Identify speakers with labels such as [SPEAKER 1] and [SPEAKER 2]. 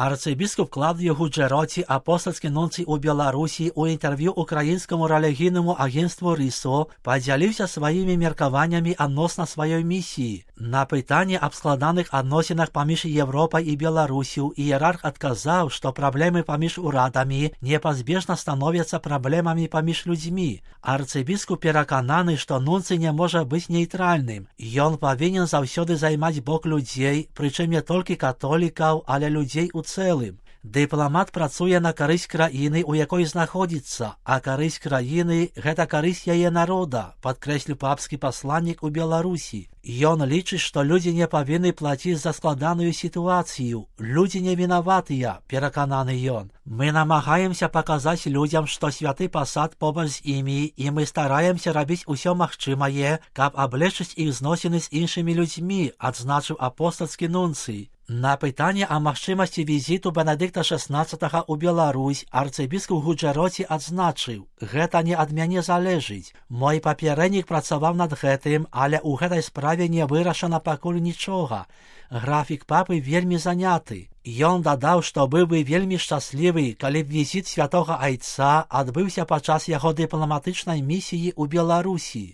[SPEAKER 1] Арцибіскуп Клавдіо Гуджероті, апостольський нунцій у Білорусі, у інтерв'ю українському релігійному агентству РІСО поділився своїми міркуваннями відносно своєї місії. На питання об складаних відносинах поміж Європою і Білорусію ієрарх відказав, що проблеми поміж урадами непозбіжно становляться проблемами поміж людьми. Арцибіскуп переконаний, що нунцій не може бути нейтральним. Він повинен завжди займати бок людей, причому не тільки католиків, але людей у цілим. Дипломат працює на користь країни, у якій знаходиться, а користь країни – це користь її народу, підкреслив папський посланник у Білорусі. Він лічить, що люди не повинні платити за складану ситуацію. Люди не винуваті, переконаний він. Ми намагаємося показати людям, що святий посад побач з ними, і ми стараємося робити усе можливе, щоб облегчити їх зносини з іншими людьми, відзначив апостольський нунцій. На питання о можливості візиту Бенедикта XVI у Білорусь арцибіскуп Гуджероті відзначив: «Гэта не від мене залежить. Мой попередник працював над гэтым, але у гэтай справі не вирішено пакуль нічого. Графік папи вельми заняты». Ён дадаў, што быў бы вельмі шчаслівы, калі б візіт святога айца адбыўся падчас яго дыпламатычнай місіі ў Беларусі.